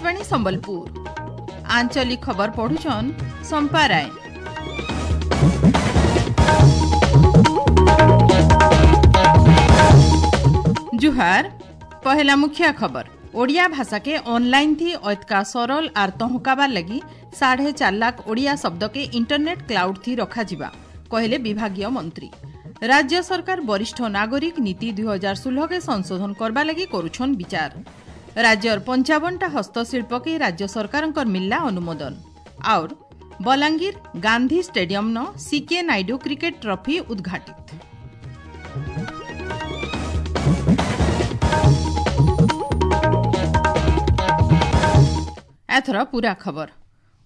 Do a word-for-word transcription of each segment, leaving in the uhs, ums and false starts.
ଆକାଶବାଣୀ ସମ୍ବଲପୁର ଆଞ୍ଚଳିକ ଖବର ପଢୁଛନ୍ ସମ୍ପା ରାୟ ଜୁହାର ପହେଲା ମୁଖ୍ୟ ଖବର ଓଡ଼ିଆ ଭାଷାକେ ଅନଲାଇନ୍ ଥି ଐତକା ସରଲ ଆର୍ ତହଁକାବାର ଲାଗି ସାଢ଼େ ଚାରି ଲାଖ ଓଡ଼ିଆ ଶବ୍ଦକେ ଇଣ୍ଟରନେଟ୍ କ୍ଲାଉଡ୍ ଥି ରଖାଯିବା କହିଲେ ବିଭାଗୀୟ ମନ୍ତ୍ରୀ ରାଜ୍ୟ ସରକାର ବରିଷ୍ଠ ନାଗରିକ ନୀତି ଦୁଇ ହଜାର ଷୋହଳକେ ସଂଶୋଧନ କରବା ଲାଗି କରୁଛନ୍ ବିଚାର ରାଜ୍ୟର ପଞ୍ଚାବନଟା ହସ୍ତଶିଳ୍ପକେ ରାଜ୍ୟ ସରକାରଙ୍କର ମିଳିଲା ଅନୁମୋଦନ ଆଉର୍ ବଲାଙ୍ଗୀର ଗାନ୍ଧୀ ଷ୍ଟାଡିୟମ୍ନ ସିକେ ନାଇଡୁ କ୍ରିକେଟ୍ ଟ୍ରଫି ଉଦ୍ଘାଟିତ ଏଥର ପୂରା ଖବର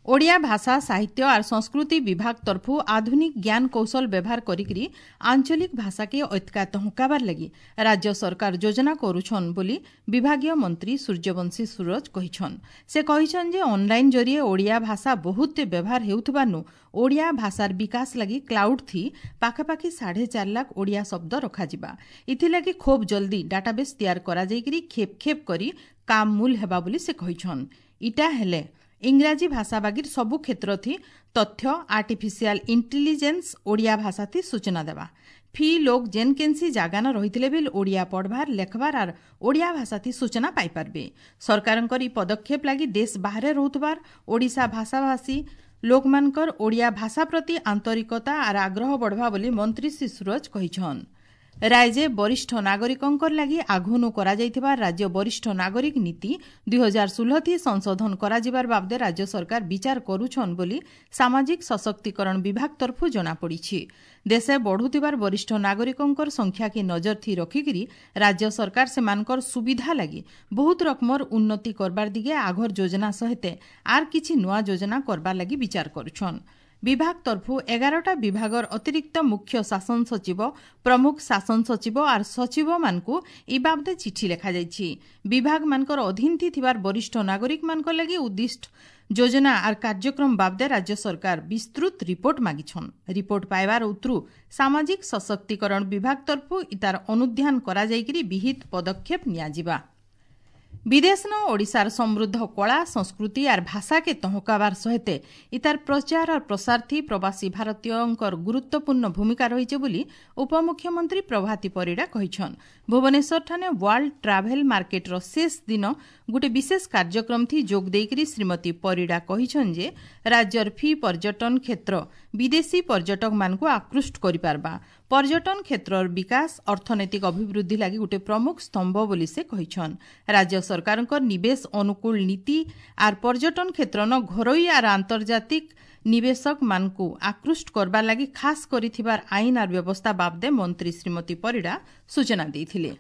ଓଡ଼ିଆ ଭାଷା ସାହିତ୍ୟ ଆର୍ ସଂସ୍କୃତି ବିଭାଗ ତରଫୁ ଆଧୁନିକ ଜ୍ଞାନ କୌଶଳ ବ୍ୟବହାର କରିକିରି ଆଞ୍ଚଳିକ ଭାଷାକେ ଐତକା ତହଁକାବାର ଲାଗି ରାଜ୍ୟ ସରକାର ଯୋଜନା କରୁଛନ୍ ବୋଲି ବିଭାଗୀୟ ମନ୍ତ୍ରୀ ସୂର୍ଯ୍ୟବଂଶୀ ସୂରଜ କହିଛନ୍ ସେ କହିଛନ୍ ଯେ ଅନଲାଇନ୍ ଜରିଏ ଓଡ଼ିଆ ଭାଷା ବହୁତ ବ୍ୟବହାର ହେଉଥିବାନୁ ଓଡ଼ିଆ ଭାଷାର ବିକାଶ ଲାଗି କ୍ଲାଉଡ୍ ଥି ପାଖାପାଖି ସାଢ଼େ ଚାରି ଲାଖ ଓଡ଼ିଆ ଶବ୍ଦ ରଖାଯିବା ଏଥିଲାଗି ଖୁବ୍ ଜଲ୍ଦି ଡାଟାବେସ୍ ତିଆର କରାଯାଇକିରି ଖେପ୍ ଖେପ୍ କରି କାମ ମୂଲ ହେବା ବୋଲି ସେ କହିଛନ୍ ଇଟା ହେଲେ ଇଂରାଜୀ ଭାଷା ବାଗିର ସବୁ କ୍ଷେତ୍ର ଥି ତଥ୍ୟ ଆର୍ଟିଫିସିଆଲ ଇଣ୍ଟେଲିଜେନ୍ସ ଓଡ଼ିଆ ଭାଷା ଥି ସୂଚନା ଦେବା ଫି ଲୋକ ଯେନ୍ କେନ୍ସି ଜାଗାନ ରହିଥିଲେ ବି ଓଡ଼ିଆ ପଢ଼ବାର ଲେଖବାର ଆର୍ ଓଡ଼ିଆ ଭାଷା ଥି ସୂଚନା ପାଇପାରବେ ସରକାରଙ୍କର ଇ ପଦକ୍ଷେପ ଲାଗି ଦେଶ ବାହାରେ ରହୁଥିବାର ଓଡ଼ିଶା ଭାଷାଭାଷୀ ଲୋକମାନଙ୍କର ଓଡ଼ିଆ ଭାଷା ପ୍ରତି ଆନ୍ତରିକତା ଆର୍ ଆଗ୍ରହ ବଢ଼ବା ବୋଲି ମନ୍ତ୍ରୀ ଶ୍ରୀ ସୂରଜ କହିଛନ୍ ରାଜ୍ୟ ବରିଷ୍ଠ ନାଗରିକଙ୍କର ଲାଗି ଆଘୁନୁ କରାଯାଇଥିବା ରାଜ୍ୟ ବରିଷ୍ଠ ନାଗରିକ ନୀତି ଦୁଇ ହଜାର ଷୋହଳ ସଂଶୋଧନ କରାଯିବାର ବାବଦେ ରାଜ୍ୟ ସରକାର ବିଚାର କରୁଛନ୍ ବୋଲି ସାମାଜିକ ସଶକ୍ତିକରଣ ବିଭାଗ ତରଫୁ ଜଣାପଡ଼ିଛି ଦେଶେ ବଢ଼ୁଥିବାର ବରିଷ୍ଠ ନାଗରିକଙ୍କର ସଂଖ୍ୟାକେ ନଜର ଥି ରଖିକିରି ରାଜ୍ୟ ସରକାର ସେମାନଙ୍କର ସୁବିଧା ଲାଗି ବହୁତ ରକମର ଉନ୍ନତି କରବାର ଦିଗେ ଆଘର ଯୋଜନା ସହିତ ଆର୍ କିଛି ନୂଆ ଯୋଜନା କରବାର ଲାଗି ବିଚାର କରୁଛନ୍ ବିଭାଗ ତରଫୁ ଏଗାରଟା ବିଭାଗର ଅତିରିକ୍ତ ମୁଖ୍ୟ ଶାସନ ସଚିବ ପ୍ରମୁଖ ଶାସନ ସଚିବ ଆର୍ ସଚିବମାନଙ୍କୁ ଇ ବାବଦେ ଚିଠି ଲେଖାଯାଇଛି ବିଭାଗମାନଙ୍କର ଅଧୀନ ଥିବାର ବରିଷ୍ଠ ନାଗରିକମାନଙ୍କ ଲାଗି ଉଦ୍ଦିଷ୍ଟ ଯୋଜନା ଆର୍ କାର୍ଯ୍ୟକ୍ରମ ବାବଦେ ରାଜ୍ୟ ସରକାର ବିସ୍ତୃତ ରିପୋର୍ଟ ମାଗିଛନ୍ ରିପୋର୍ଟ ପାଇବାର ଉତ୍ରୁ ସାମାଜିକ ସଶକ୍ତିକରଣ ବିଭାଗ ତରଫୁ ଇତାର ଅନୁଧ୍ୟାନ କରାଯାଇକିରି ବିହିତ ପଦକ୍ଷେପ ନିଆଯିବା ବିଦେଶନ ଓଡ଼ିଶାର ସମୃଦ୍ଧ କଳା ସଂସ୍କୃତି ଆର୍ ଭାଷାକେ ତହଁକାବାର ସହିତ ଇତାର ପ୍ରଚାର ଆର୍ ପ୍ରସାର ଥି ପ୍ରବାସୀ ଭାରତୀୟଙ୍କର ଗୁରୁତ୍ୱପୂର୍ଣ୍ଣ ଭୂମିକା ରହିছে ବୋଲି ଉପମୁଖ୍ୟମନ୍ତ୍ରୀ ପ୍ରଭାତୀ ପରିଡ଼ା କହିଛନ୍ ଭୁବନେଶ୍ୱରଠାନେ ୱାର୍ଲଡ ଟ୍ରାଭେଲ ମାର୍କେଟର ଶେଷ ଦିନ ଗୋଟେ ବିଶେଷ କାର୍ଯ୍ୟକ୍ରମ ଥି ଯୋଗ ଦେଇକରି ଶ୍ରୀମତୀ ପରିଡ଼ା କହିଛନ୍ ଯେ ରାଜ୍ୟର ଫି ପର୍ଯ୍ୟଟନ କ୍ଷେତ୍ର ବିଦେଶୀ ପର୍ଯ୍ୟଟକମାନଙ୍କୁ ଆକୃଷ୍ଟ କରିପାରବା ପର୍ଯ୍ୟଟନ କ୍ଷେତ୍ରର ବିକାଶ ଅର୍ଥନୈତିକ ଅଭିବୃଦ୍ଧି ଲାଗି ଗୋଟେ ପ୍ରମୁଖ ସ୍ତମ୍ଭ ବୋଲି ସେ କହିଛନ୍ ରାଜ୍ୟ ସରକାରଙ୍କ ନିବେଶ ଅନୁକୂଳ ନୀତି ଆର୍ ପର୍ଯ୍ୟଟନ କ୍ଷେତ୍ରନ ଘରୋଇ ଆର୍ ଆନ୍ତର୍ଜାତିକ ନିବେଶକମାନଙ୍କୁ ଆକୃଷ୍ଟ କରବାର ଲାଗି ଖାସ୍ କରିଥିବାର ଆଇନ ଆର୍ ବ୍ୟବସ୍ଥା ବାବଦେ ମନ୍ତ୍ରୀ ଶ୍ରୀମତୀ ପରିଡ଼ା ସୂଚନା ଦେଇଥିଲେ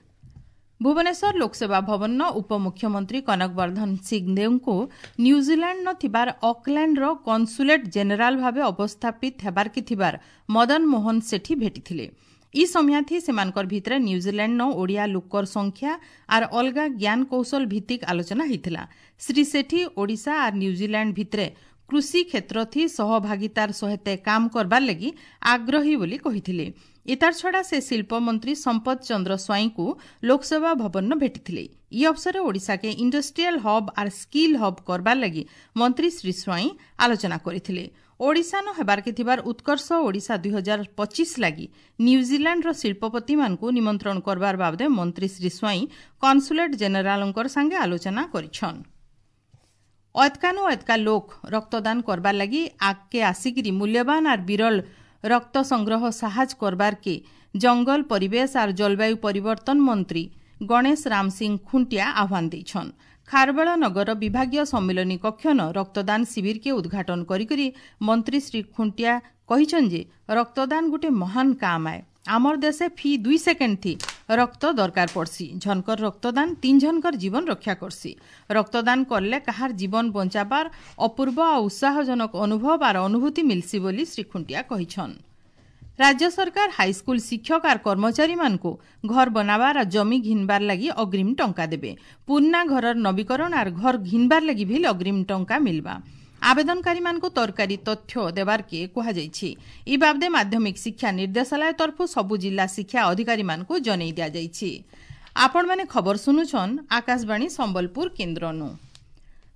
ଭୁବନେଶ୍ୱର ଲୋକସେବା ଭବନର ଉପମୁଖ୍ୟମନ୍ତ୍ରୀ କନକ ବର୍ଦ୍ଧନ ସିଂଦେଓଙ୍କୁ ନ୍ୟୁଜିଲାଣ୍ଡ ଥିବାର ଅକଲ୍ୟାଣ୍ଡର କନସୁଲେଟ୍ ଜେନେରାଲ ଭାବେ ଅବସ୍ଥାପିତ ହେବାର୍କେ ଥିବାର ମଦନ ମୋହନ ସେଠୀ ଭେଟିଥିଲେ ଇ ସମୟାଥି ସେମାନଙ୍କର ଭିତରେ ନ୍ୟୁଜିଲାଣ୍ଡ ଓଡ଼ିଆ ଲୋକର ସଂଖ୍ୟା ଆର୍ ଅଲଗା ଜ୍ଞାନ କୌଶଳ ଭିତ୍ତିକ ଆଲୋଚନା ହେଇଥିଲା ଶ୍ରୀ ସେଠୀ ଓଡ଼ିଶା ଆର୍ ନ୍ୟୁଜିଲାଣ୍ଡ ଭିତରେ କୃଷି କ୍ଷେତ୍ର ଥି ସହଭାଗିତାର ସହିତ କାମ କରବାର ଲାଗି ଆଗ୍ରହୀ ବୋଲି କହିଥିଲେ ଇତାର ଛଡ଼ା ସେ ଶିଳ୍ପମନ୍ତ୍ରୀ ସମ୍ପଦ ଚନ୍ଦ୍ର ସ୍ୱାଇଁଙ୍କୁ ଲୋକସେବା ଭବନ ଭେଟିଥିଲେ ଇ ଅବସରରେ ଓଡ଼ିଶାକେ ଇଣ୍ଡଷ୍ଟ୍ରିଆଲ ହବ୍ ଆର୍ ସ୍କିଲ୍ ହବ୍ କରବାର ଲାଗି ମନ୍ତ୍ରୀ ଶ୍ରୀ ସ୍ୱାଇଁ ଆଲୋଚନା କରିଥିଲେ ଓଡ଼ିଶାନ ହେବାର୍କେ ଥିବାର ଉତ୍କର୍ଷ ଓଡ଼ିଶା ଦୁଇ ହଜାର ପଚିଶ ଲାଗି ନ୍ୟୁଜିଲାଣ୍ଡର ଶିଳ୍ପପତିମାନଙ୍କୁ ନିମନ୍ତ୍ରଣ କରବାର ବାବଦେ ମନ୍ତ୍ରୀ ଶ୍ରୀ ସ୍ୱାଇଁ କନସୁଲେଟ୍ ଜେନେରାଲଙ୍କର ସାଙ୍ଗେ ଆଲୋଚନା କରିଛନ୍ ଐତକାନୁ ଐତକା ଲୋକ ରକ୍ତଦାନ କରବାର ଲାଗି ଆଗକେ ଆସିକିରି ମୂଲ୍ୟବାନ ଆର୍ ବିରଳ ରକ୍ତ ସଂଗ୍ରହ ସାହାଯ୍ୟ କରବାରକେ ଜଙ୍ଗଲ ପରିବେଶ ଆର୍ ଜଳବାୟୁ ପରିବର୍ତ୍ତନ ମନ୍ତ୍ରୀ ଗଣେଶ ରାମ ସିଂ ଖୁଣ୍ଟିଆ ଆହ୍ୱାନ ଦେଇଛନ୍ ଖାରବେଳ ନଗର ବିଭାଗୀୟ ସମ୍ମିଳନୀ କକ୍ଷନ ରକ୍ତଦାନ ଶିବିରକେ ଉଦ୍ଘାଟନ କରିକରି ମନ୍ତ୍ରୀ ଶ୍ରୀ ଖୁଣ୍ଟିଆ କହିଛନ୍ ଯେ ରକ୍ତଦାନ ଗୋଟେ ମହାନ କାମ ଆଏ ଆମର ଦେଶେ ଫି ଦୁଇ ସେକେଣ୍ଡ ଥି ରକ୍ତ ଦରକାର ପଡ଼ସି ଝନକର ରକ୍ତଦାନ ତିନ୍ ଝନକର ଜୀବନ ରକ୍ଷା କରସି ରକ୍ତଦାନ କଲେ କାହାର ଜୀବନ ବଞ୍ଚାବାର ଅପୂର୍ବ ଆଉ ଉତ୍ସାହଜନକ ଅନୁଭବ ଆର୍ ଅନୁଭୂତି ମିଲ୍ସି ବୋଲି ଶ୍ରୀ ଖୁଣ୍ଟିଆ କହିଛନ୍ ରାଜ୍ୟ ସରକାର ହାଇସ୍କୁଲ ଶିକ୍ଷକ ଆର୍ କର୍ମଚାରୀମାନଙ୍କୁ ଘର ବନାବାର ଆର୍ ଜମି ଘିନବାର ଲାଗି ଅଗ୍ରିମ ଟଙ୍କା ଦେବେ ପୁରୁଣା ଘରର ନବୀକରଣ ଆର୍ ଘର ଘିନବାର ଲାଗି ବି ଅଗ୍ରିମ ଟଙ୍କା ମିଲବା ଆବେଦନକାରୀମାନଙ୍କୁ ଦରକାରୀ ତଥ୍ୟ ଦେବାର୍କେ କୁହାଯାଇଛି ଇ ବାବଦେ ମାଧ୍ୟମିକ ଶିକ୍ଷା ନିର୍ଦ୍ଦେଶାଳୟ ତରଫରୁ ସବୁ ଜିଲ୍ଲା ଶିକ୍ଷା ଅଧିକାରୀମାନଙ୍କୁ ଜଣାଇ ଦିଆଯାଇଛି ଆପଣମାନେ ଖବର ଶୁଣୁଛନ୍ ଆକାଶବାଣୀ ସମ୍ବଲପୁର କେନ୍ଦ୍ରନୁ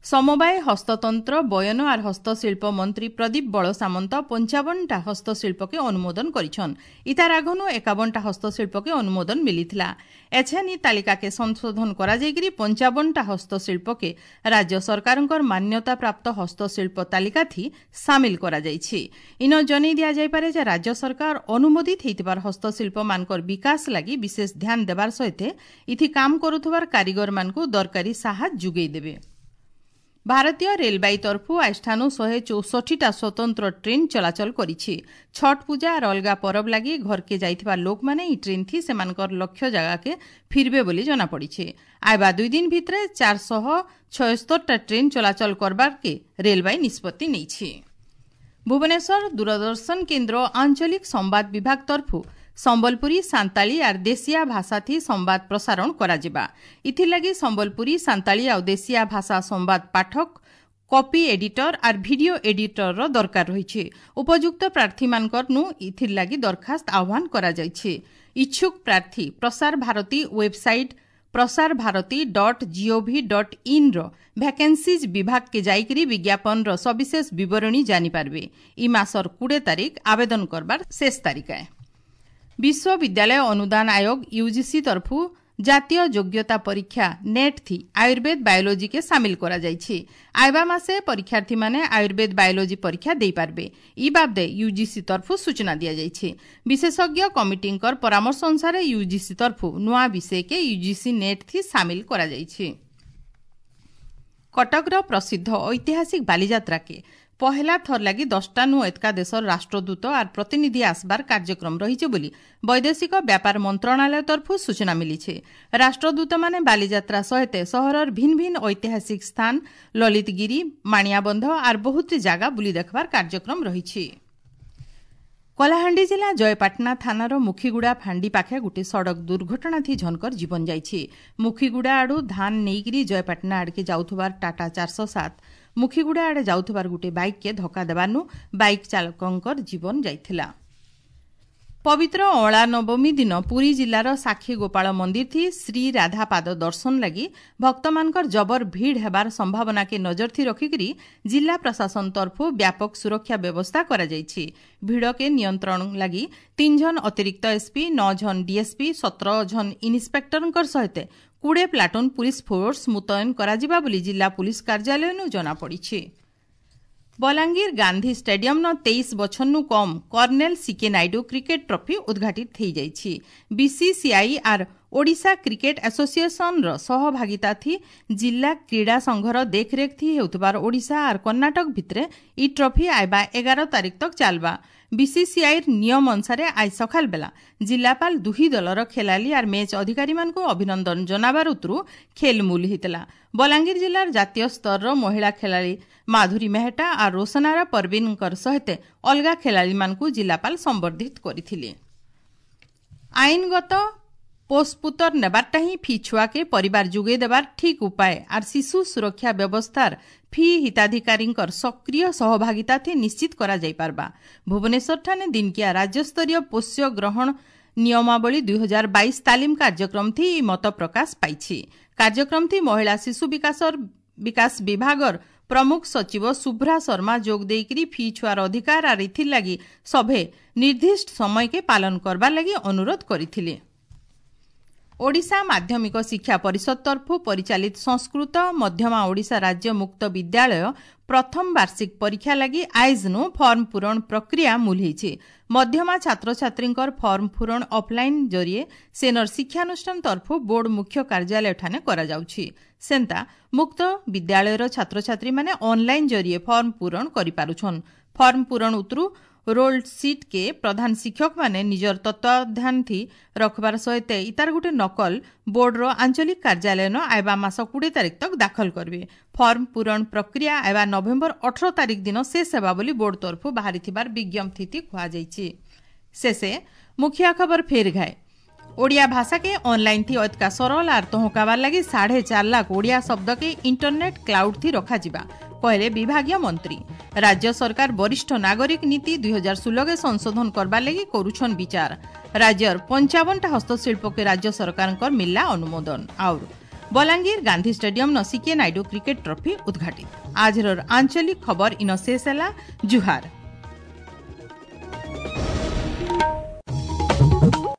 ସମବାୟ, ହସ୍ତତନ୍ତ୍ର, ବୟନ ଆର୍ ହସ୍ତଶିଳ୍ପ ମନ୍ତ୍ରୀ ପ୍ରଦୀପ ବଳ ସାମନ୍ତ ପଞ୍ଚାବନଟା ହସ୍ତଶିଳ୍ପକେ ଅନୁମୋଦନ କରିଛନ୍। ଇତାର ଆଗନୁ ଏକାବନଟା ହସ୍ତଶିଳ୍ପକେ ଅନୁମୋଦନ ମିଳିଥିଲା। ଏଛେନ୍ ଇ ତାଲିକାକେ ସଂଶୋଧନ କରାଯାଇକରି ପଞ୍ଚାବନଟା ହସ୍ତଶିଳ୍ପକେ ରାଜ୍ୟ ସରକାରଙ୍କର ମାନ୍ୟତା ପ୍ରାପ୍ତ ହସ୍ତଶିଳ୍ପ ତାଲିକାଥି ସାମିଲ କରାଯାଇଛି। ଇନ ଜନେଇ ଦିଆଯାଇପାରେ ଯେ ରାଜ୍ୟ ସରକାର ଅନୁମୋଦିତ ହେଇଥିବାର ହସ୍ତଶିଳ୍ପମାନଙ୍କର ବିକାଶ ଲାଗି ବିଶେଷ ଧ୍ୟାନ ଦେବାର ସହିତ ଇଥି କାମ କରୁଥିବାର କାରିଗରମାନଙ୍କୁ ଦରକାରୀ ସାହାଯ୍ୟ ଯୋଗାଇ ଦେବେ। ଭାରତୀୟ ରେଲବାଇ ତରଫୁ ଆଜିଠାନୁ ଶହେ ଚଉଷଠିଟା ସ୍ୱତନ୍ତ୍ର ଟ୍ରେନ୍ ଚଳାଚଳ କରିଛି। ଛଟ୍ ପୂଜା ଆର୍ ଅଲଗା ପରବ ଲାଗି ଘରକେ ଯାଇଥିବା ଲୋକମାନେ ଇ ଟ୍ରେନ୍ ଥି ସେମାନଙ୍କର ଲକ୍ଷ୍ୟ ଜାଗାକେ ଫିରବେ ବୋଲି ଜଣାପଡ଼ିଛି। ଆଇବା ଦୁଇ ଦିନ ଭିତରେ ଚାରିଶହ ଛୟସ୍ତରଟା ଟ୍ରେନ୍ ଚଳାଚଳ କରବାରକେ ରେଲବାଇ ନିଷ୍ପତ୍ତି ନେଇଛି। ଭୁବନେଶ୍ୱର ଦୂରଦର୍ଶନ କେନ୍ଦ୍ର ଆଞ୍ଚଳିକ ସମ୍ବାଦ ବିଭାଗ ତରଫୁ ସମ୍ବଲପୁରୀ, ସାନ୍ତାଳୀ ଆର୍ ଦେଶିଆ ଭାଷାଥି ସମ୍ବାଦ ପ୍ରସାରଣ କରାଯିବା। ଇଥିର୍ଲାଗି ସମ୍ବଲପୁରୀ, ସାନ୍ତାଳୀ ଆଉ ଦେଶିଆ ଭାଷା ସମ୍ବାଦ ପାଠକ, କପି ଏଡିଟର ଆର୍ ଭିଡିଓ ଏଡିଟରର ଦରକାର ରହିଛି। ଉପଯୁକ୍ତ ପ୍ରାର୍ଥୀମାନଙ୍କରନୁ ଇଥିର୍ଲାଗି ଦରଖାସ୍ତ ଆହ୍ୱାନ କରାଯାଇଛି। ଇଚ୍ଛୁକ ପ୍ରାର୍ଥୀ Prasar Bharati website Prasar Bharati dot gov dot ଇନ୍ର vacancies ବିଭାଗକେ ଯାଇକରି ବିଜ୍ଞାପନର ସବିଶେଷ ବିବରଣୀ ଜାଣିପାରିବେ। ଇ ମାସର କୋଡ଼ିଏ ତାରିଖ ଆବେଦନ କରବାର ଶେଷ ତାରିଖ। ବିଶ୍ୱବିଦ୍ୟାଳୟ ଅନୁଦାନ ଆୟୋଗ ୟୁଜିସି ତରଫୁ ଜାତୀୟ ଯୋଗ୍ୟତା ପରୀକ୍ଷା ନେଟ୍ ଥି ଆୟୁର୍ବେଦ ବାୟୋଲୋଜିକେ ସାମିଲ କରାଯାଇଛି। ଆଇବା ମାସେ ପରୀକ୍ଷାର୍ଥୀମାନେ ଆୟୁର୍ବେଦ ବାୟୋଲୋଜି ପରୀକ୍ଷା ଦେଇପାରିବେ। ଇ ବାବଦେ ୟୁଜିସି ତରଫୁ ସୂଚନା ଦିଆଯାଇଛି। ବିଶେଷଜ୍ଞ କମିଟିଙ୍କର ପରାମର୍ଶ ଅନୁସାରେ ୟୁଜିସି ତରଫୁ ନୂଆ ବିଷୟକେ ୟୁଜିସି ନେଟ୍ ଥି ସାମିଲ କରାଯାଇଛି। କଟକର ପ୍ରସିଦ୍ଧ ଐତିହାସିକ ବାଲିଯାତ୍ରାକେ ପହେଲା ଥର ଲାଗି ଦଶଟା ନୁ ଏତକା ଦେଶର ରାଷ୍ଟ୍ରଦୂତ ଆର୍ ପ୍ରତିନିଧି ଆସବାର କାର୍ଯ୍ୟକ୍ରମ ରହିছে ବୋଲି ବୈଦେଶିକ ବ୍ୟାପାର ମନ୍ତ୍ରଣାଳୟ ତରଫୁ ସୂଚନା ମିଳିছে। ରାଷ୍ଟ୍ରଦୂତମାନେ ବାଲିଯାତ୍ରା ସହିତ ସହରର ଭିନ୍ନ ଭିନ୍ନ ଐତିହାସିକ ସ୍ଥାନ ଲଳିତଗିରି, ମାଣିଆବନ୍ଧ ଆର୍ ବହୁତ ଜାଗା ବୁଲି ଦେଖବାର କାର୍ଯ୍ୟକ୍ରମ ରହିଛି। କଳାହାଣ୍ଡି ଜିଲ୍ଲା ଜୟପାଟଣା ଥାନାର ମୁଖିଗୁଡ଼ା ଫାଣ୍ଡି ପାଖେ ଗୋଟିଏ ସଡ଼କ ଦୁର୍ଘଟଣା ଥି ଝନକର ଜୀବନ ଯାଇଛି। ମୁଖିଗୁଡ଼ା ଆଡ଼ୁ ଧାନ ନେଇକରି ଜୟପାଟଣା ଆଡ଼କେ ଯାଉଥିବାର ଟାଟା ଚାରିଶହ ସାତ ମୁଖିଗୁଡ଼ା ଆଡ଼େ ଯାଉଥିବାର ଗୋଟିଏ ବାଇକ୍କେ ଧକ୍କା ଦେବାନୁ ବାଇକ୍ ଚାଳକଙ୍କର ଜୀବନ ଯାଇଥିଲା। ପବିତ୍ର ଅଁଳା ନବମୀ ଦିନ ପୁରୀ ଜିଲ୍ଲାର ସାକ୍ଷୀ ଗୋପାଳ ମନ୍ଦିର ଥି ଶ୍ରୀ ରାଧାପାଦ ଦର୍ଶନ ଲାଗି ଭକ୍ତମାନଙ୍କର ଜବର ଭିଡ଼ ହେବାର ସମ୍ଭାବନାକେ ନଜର ଥି ରଖିକରି ଜିଲ୍ଲା ପ୍ରଶାସନ ତରଫୁ ବ୍ୟାପକ ସୁରକ୍ଷା ବ୍ୟବସ୍ଥା କରାଯାଇଛି। ଭିଡ଼କେ ନିୟନ୍ତ୍ରଣ ଲାଗି ତିନି ଜଣ ଅତିରିକ୍ତ ଏସ୍ପି, ନଅ ଜଣ ଡିଏସ୍ପି, ସତର ଜଣ ଇନ୍ସପେକ୍ଟରଙ୍କର ସହିତ କୋଡ଼ିଏ ପ୍ଲାଟୁନ୍ ପୁଲିସ ଫୋର୍ସ ମୁତୟନ କରାଯିବା ବୋଲି ଜିଲ୍ଲା ପୁଲିସ କାର୍ଯ୍ୟାଳୟନୁ ଜଣାପଡ଼ିଛି। ବଲାଙ୍ଗୀର ଗାନ୍ଧୀ ଷ୍ଟାଡିୟମ୍ନ ତେଇଶ ବଛରନୁ କମ୍ colonel C K Naidu cricket trophy ଉଦ୍ଘାଟିତ ହୋଇଯାଇଛି। ବିସିସିଆଇ ଆର୍ ଓଡ଼ିଶା କ୍ରିକେଟ ଆସୋସିଏସନର ସହଭାଗିତା ଥି ଜିଲ୍ଲା କ୍ରୀଡ଼ା ସଂଘର ଦେଖରେଖ ଥି ହେଉଥିବାର ଓଡ଼ିଶା ଆର୍ କର୍ଣ୍ଣାଟକ ଭିତରେ ଇ ଟ୍ରଫି ଆଇବା ଏଗାର ତାରିଖ ତକ୍ ଚାଲବା। ବିସିସିଆଇର ନିୟମ ଅନୁସାରେ ଆজ ସକାଳ ବେଲା ଜିଲ୍ଲାପାଳ ଦୁହି ଦଳର ଖେଳାଳି ଆର୍ ମ୍ୟାଚ୍ ଅଧିକାରୀମାନଙ୍କୁ ଅଭିନନ୍ଦନ ଜଣାବାର ଉତରୁ ଖେଲ ମୂଲ ହେଇଥିଲା। ବଲାଙ୍ଗୀର ଜିଲ୍ଲାର ଜାତୀୟ ସ୍ତରର ମହିଳା ଖେଳାଳି ମାଧୁରୀ ମେହେଟା ଆର୍ ରୋଶନାରା ପରବୀନଙ୍କର ସହିତ ଅଲଗା ଖେଳାଳିମାନଙ୍କୁ ଜିଲ୍ଲାପାଳ ସମ୍ବର୍ଦ୍ଧିତ କରିଥିଲେ। ଆଇନଗତ ପୋଷପୁତର ନେବାରଟା ହିଁ ଫି ଛୁଆକେ ପରିବାର ଯୋଗାଇ ଦେବାର ଠିକ୍ ଉପାୟ ଆର୍ ଶିଶୁ ସୁରକ୍ଷା ବ୍ୟବସ୍ଥାର ଫି ହିତାଧିକାରୀଙ୍କର ସକ୍ରିୟ ସହଭାଗିତା ଥି ନିଶ୍ଚିତ କରାଯାଇପାରବା। ଭୁବନେଶ୍ୱରଠାନେ ଦିନକିଆ ରାଜ୍ୟସ୍ତରୀୟ ପୋଷ୍ୟ ଗ୍ରହଣ ନିୟମାବଳୀ ଦୁଇ ହଜାର ବାଇଶ ତାଲିମ କାର୍ଯ୍ୟକ୍ରମ ଥି ଇ ମତ ପ୍ରକାଶ ପାଇଛି। କାର୍ଯ୍ୟକ୍ରମ ଥି ମହିଳା ଶିଶୁ ବିକାଶର ବିକାଶ ବିଭାଗର ପ୍ରମୁଖ ସଚିବ ଶୁଭ୍ରା ଶର୍ମା ଯୋଗ ଦେଇକରି ଫି ଛୁଆର ଅଧିକାର ଆର୍ ଇଥିର୍ ଲାଗି ସଭେ ନିର୍ଦ୍ଦିଷ୍ଟ ସମୟକେ ପାଳନ କରବାର ଲାଗି ଅନୁରୋଧ କରିଥିଲେ। ଓଡ଼ିଶା ମାଧ୍ୟମିକ ଶିକ୍ଷା ପରିଷଦ ତରଫୁ ପରିଚାଳିତ ସଂସ୍କୃତ ମଧ୍ୟମା ଓଡ଼ିଶା ରାଜ୍ୟ ମୁକ୍ତ ବିଦ୍ୟାଳୟ ପ୍ରଥମ ବାର୍ଷିକ ପରୀକ୍ଷା ଲାଗି ଆଇଜ୍ନୁ ଫର୍ମ ପୂରଣ ପ୍ରକ୍ରିୟା ମୂଲ ହେଇଛି। ମଧ୍ୟମା ଛାତ୍ରଛାତ୍ରୀଙ୍କର ଫର୍ମ ପୂରଣ ଅଫଲାଇନ୍ ଜରିଏ ସେନର ଶିକ୍ଷାନୁଷ୍ଠାନ ତରଫୁ ବୋର୍ଡ ମୁଖ୍ୟ କାର୍ଯ୍ୟାଳୟଠାନେ କରାଯାଉଛି। ସେନ୍ତା ମୁକ୍ତ ବିଦ୍ୟାଳୟର ଛାତ୍ରଛାତ୍ରୀମାନେ ଅନ୍ଲାଇନ୍ ଜରିଏ ଫର୍ମ ପୂରଣ କରିପାରୁଛନ୍। ଫର୍ମ ପୂରଣ ଉତରୁ ରୋଲ୍ ସିଟ୍କେ ପ୍ରଧାନ ଶିକ୍ଷକମାନେ ନିଜର ତତ୍ତ୍ୱାବଧାନ ଥି ରଖବାର ସହିତ ଇତାର ଗୋଟେ ନକଲ ବୋର୍ଡର ଆଞ୍ଚଳିକ କାର୍ଯ୍ୟାଳୟନ ଆଇବା ମାସ କୋଡ଼ିଏ ତାରିଖ ତକ ଦାଖଲ କରିବେ। ଫର୍ମ ପୂରଣ ପ୍ରକ୍ରିୟା ଆଇବା ନଭେମ୍ବର ଅଠର ତାରିଖ ଦିନ ଶେଷ ହେବା ବୋଲି ବୋର୍ଡ ତରଫୁ ବାହାରିଥିବାର ବିଜ୍ଞପ୍ତି କୁହାଯାଇଛି। ଶେଷେ ମୁଖ୍ୟ ଖବର ଫେର ଘାଏ। ଓଡ଼ିଆ ଭାଷାକେ ଅନଲାଇନ୍ ଥି ଅତକା ସରଳ ଆର୍ ତହକାବାର ଲାଗି ସାଢ଼େ ଚାର ଲାଖ ଓଡ଼ିଆ ଶବ୍ଦକେ ଇଣ୍ଟରନେଟ୍ କ୍ଲାଉଡ୍ ଥି ରଖାଯିବା କହିଲେ ବିଭାଗୀୟ ମନ୍ତ୍ରୀ। ରାଜ୍ୟ ସରକାର ବରିଷ୍ଠ ନାଗରିକ ନୀତି ଦୁଇ ହଜାର ଷୋହଳରେ ସଂଶୋଧନ କରବାର ଲାଗି କରୁଛନ୍ ବିଚାର। ରାଜ୍ୟର ପଞ୍ଚାବନଟା ହସ୍ତଶିଳ୍ପକେ ରାଜ୍ୟ ସରକାରଙ୍କର ମିଳିଲା ଅନୁମୋଦନ। ଆଉ ବଲାଙ୍ଗୀର ଗାନ୍ଧୀ ଷ୍ଟାଡିୟମ ନ ସିକେ ନାଇଡୁ କ୍ରିକେଟ ଟ୍ରଫି ଉଦ୍ଘାଟିତ। ଆଜର ଆଞ୍ଚଳିକ ଖବର ଇନ ଶେଷ ହେଲା। ଜୁହାର।